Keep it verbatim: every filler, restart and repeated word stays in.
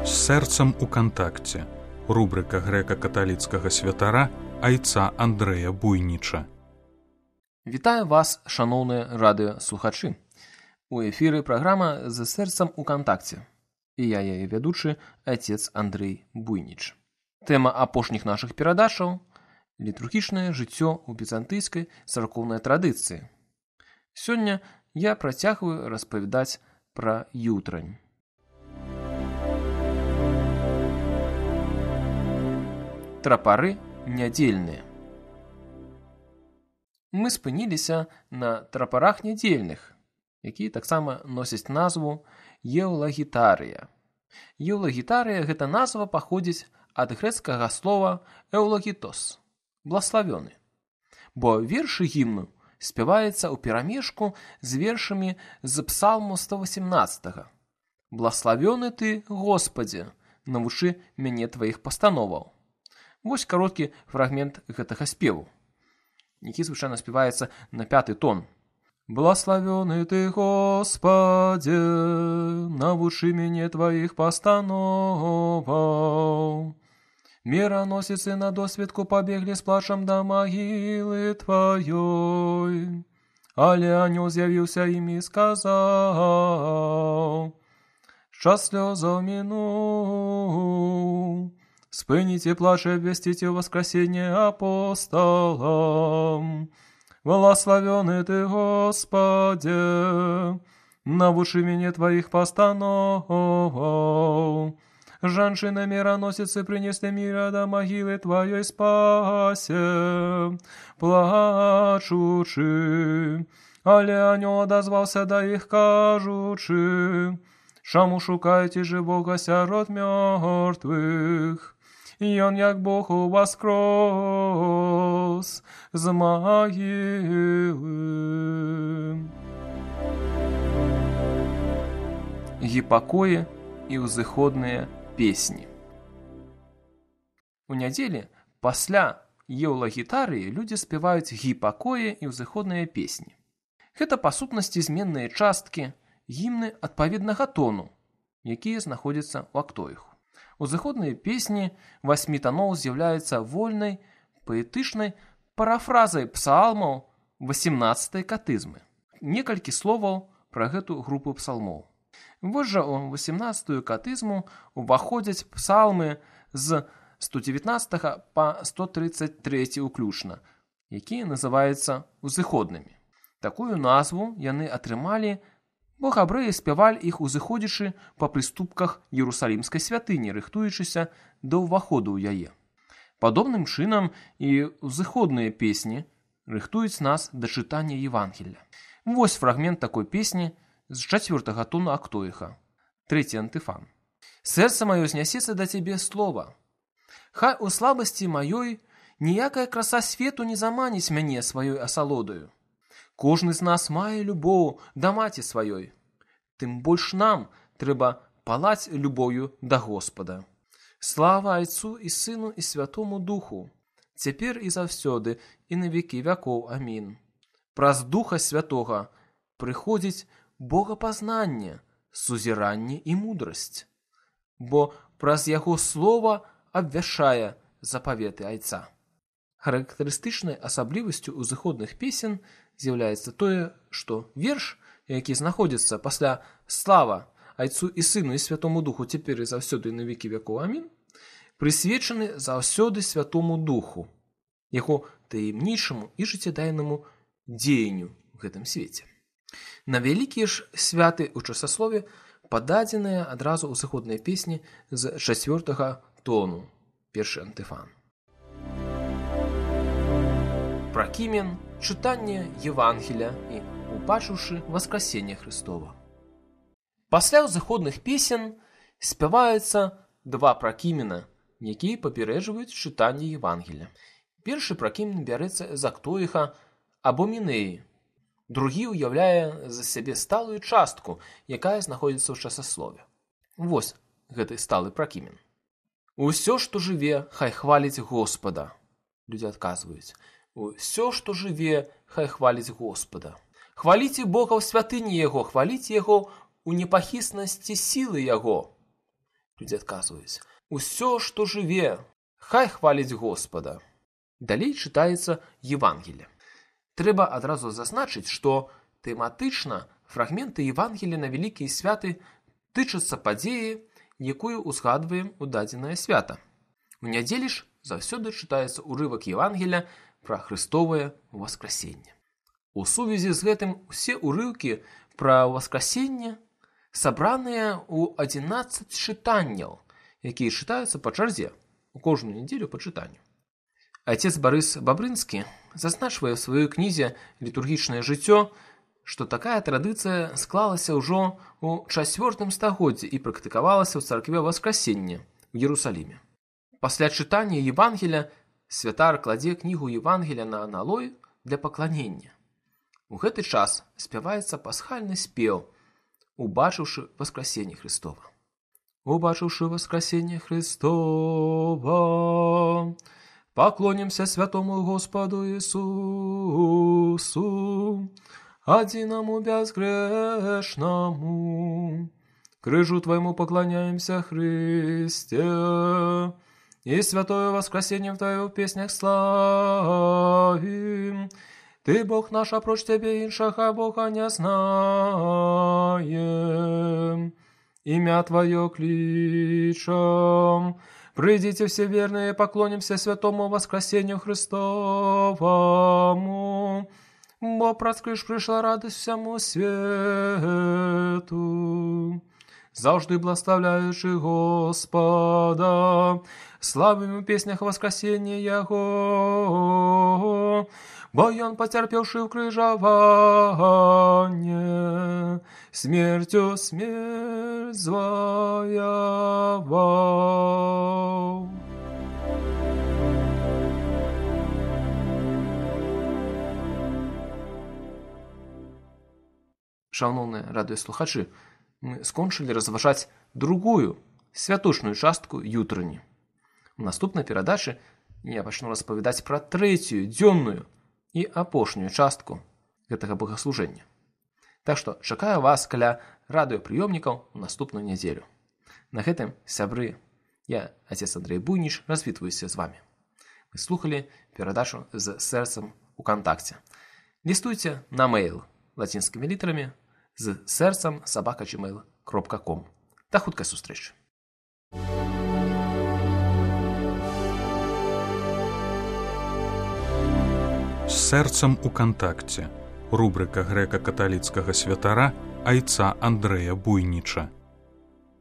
З сэрцам у кантакце. Рубрика грэка-каталіцкага святара айца Андрэя Буйніча. Вітаю вас, шаноўныя радыёслухачы. У эфіры праграма «З сэрцам у кантакце». І я яе вядучы айцец Андрэй Буйніч. Тэма апошніх нашых перадачаў – літургічнае жыццё ў бізантыйскай царкоўнай традыцыі. Сёння я працягваю распавядаць пра ютрань. Трапары нядзельныя. Мы спыніліся на трапарах нядзельных, якія таксама носяць назву еўлагітарыя. Еўлагітарыя – гэта назва паходзіць ад грэцкага слова «эўлогітос» – «блаславёны», бо вершы гімну спяваецца ў перамешку з вершамі з псалму сто васемнаццатага. «Блаславёны ты, Господзе, навучы мяне тваіх пастановаў». Вось кароткі фрагмент гэтага спеву, які звычайна спяваецца на пяты тон. «Блаславёны ты, Господзе, навучы мяне тваіх пастановаў. Міраносіцы на досведку пабеглі з плачам да магілы тваёй. Але анёл з'явіўся ім і сказаў: час слёзаў мінуў. Спыніце плач і абвясціце воскресенье апостолам. Благословёны ты, Господи, навучы мяне тваіх пастановаў. Жанчына міраносіцы прынеслі міра да магілы тваёй спасе, плачучы. Але анёл адазваўся да іх, кажучы: чаму шукаеце жывога сярод мёртвых? Ён, як Бог, уваскрос з магілы». Гіпакоі і ўзыходныя песні. У нядзелі пасля еўлагітарыі людзі спяваюць гіпакоі і ўзыходныя песні. Гэта па сутнасці зменныя часткі, гімны адпаведнага тону, якія знаходзяцца ў актоіху. Узыходныя песні васьмі таноў з'яўляюцца вольнай, паэтычнай парафразай псалмаў васемнаццатай катызмы. Некалькі словаў пра гэту групу псалмоў. Вось жа ў васемнаццатую катызму ўваходзяць псалмы з сто дзевятнаццатага па сто трыццаць трэці ўключна, якія называюцца узыходнымі. Такую назву яны атрымалі, бо габрэі спявалі іх узыходзячы па прыступках Іерусалімскай святыні, рыхтуючыся да ўваходу ў яе. Падобным чынам і ўзыходныя песні рыхтуюць нас да чытання Евангелля. Вось фрагмент такой песні з чацвёртага тона актоіха, трэці антыфан. «Сэрца маё знясецца да цябе слова. Хай у слабасці маёй ніякая краса свету не заманіць мяне сваёй асалодаю. Кожны з нас мае любоў да маці сваёй. Тым больш нам трэба палаць любоўю да Господа. Слава Айцу і Сыну і Святому Духу, цяпер і заўсёды і на векі вякоў. Амін. Праз Духа Святога прыходзіць богапазнанне, сузіранне і мудрасць, бо праз Яго слова абвяшчае запаветы Айца». Характарыстычнай асаблівасцю ўзыходных песен з'яўляецца тое, што верш, які знаходзіцца пасля «Слава Айцу і Сыну і Святому Духу, цяпер і заўсёды і на векі вякоў. Амін», прысвечаны заўсёды Святому Духу, яго таемнічаму і жыццядайнаму дзеянню ў гэтым свеце. На вялікія ж святы ў часаслове пададзеныя адразу ўзыходныя песні з чацвёртага тону, першы антыфан. Пракімен, чытанне Евангеля і убачыўшы воскресенье Христова. Пасля ўзыходных песен спяваюцца два пракімена, якія папярэджваюць чытанне Евангеля. Першы пракімен бярэцца з актоіха або мінеі, другі ўяўляе за сябе сталую частку, якая знаходзіцца ў часаслове. Вось гэты сталы пракімен. «Усё, што жыве, хай хваліць Господа». Людзі адказваюць: «Усё, што жыве, хай хваліць Господа». Хваліце Бога ў святыні Яго, хваліце Яго у непахіснасці сілы Яго. Людзі адказваюць: «Усё, што жыве, хай хваліць Господа». Далей чытаецца Евангелие. Трэба адразу зазначыць, што тэматычна фрагменты Евангелія на вялікія святы тычацца падзеі, якую узгадваем у дадзенае свята. У нядзелі ж заўсёды чытаецца ўрывак Евангелія пра Хрыстовае ўваскрасенне. У сувязі з гэтым усе ўрыўкі пра ўваскрасенне сабраныя ў адзінаццаць чытанняў, якія чытаюцца па чарзе у кожную нядзелю па чытанню. Айцец Барыс Бабрынскі зазначвае ў сваёй кнізе «Літургічнае жыццё», што такая традыцыя склалася ўжо ў чацвёртым стагоддзі і практыкавалася ў царкве Васкрасення ў Єрусаліме. Пасля чытання Евангелія святар кладзе кнігу Евангелія на аналой для пакланення. У гэты час спяваецца пасхальны спеў, убачыўшы Васкрасенне Христова. Убачыўшы Васкрасенне Христова, поклонимся святому Господу Иисусу, одиному безгрешному. Крыжу Твоему поклоняемся, Христе, и святое воскресенье в Твоих песнях славим. Ты, Бог наш, а прочь Тебе иншаха Бога не знаем. Имя Твое кличем. Придите все верные, поклонимся святому воскресению Христовому. Бо проскрыш пришла радость всему свету. Завжди благословляючи Господа, славим в песнях воскресения Его. Бо Он, потерпевший укрыжование, смертью смерть звоевал. Шановні радыёслухачы, мы скончылі разважаць другую святочную частку ютрыні. У наступнай перадачы я пачну распавядаць пра трэцюю дзённую і апошнюю частку гэтага богаслужэння. Так што чакаю вас каля радыёпрыёмнікаў у наступную нядзелю. На гэтым, сябры, я, отец Андрей Буйніч, развітваюся з вамі. Вы слухалі перадачу з сэрцам у кантакце. Лістуйце на мэйл лацінскімі літарамі з сэрцам сабака джимейл кропка ком. Да хуткай сустрэчы. З сэрцам у кантакце. Рубрика грэка-каталіцкага святара айца Андрэя Буйніча.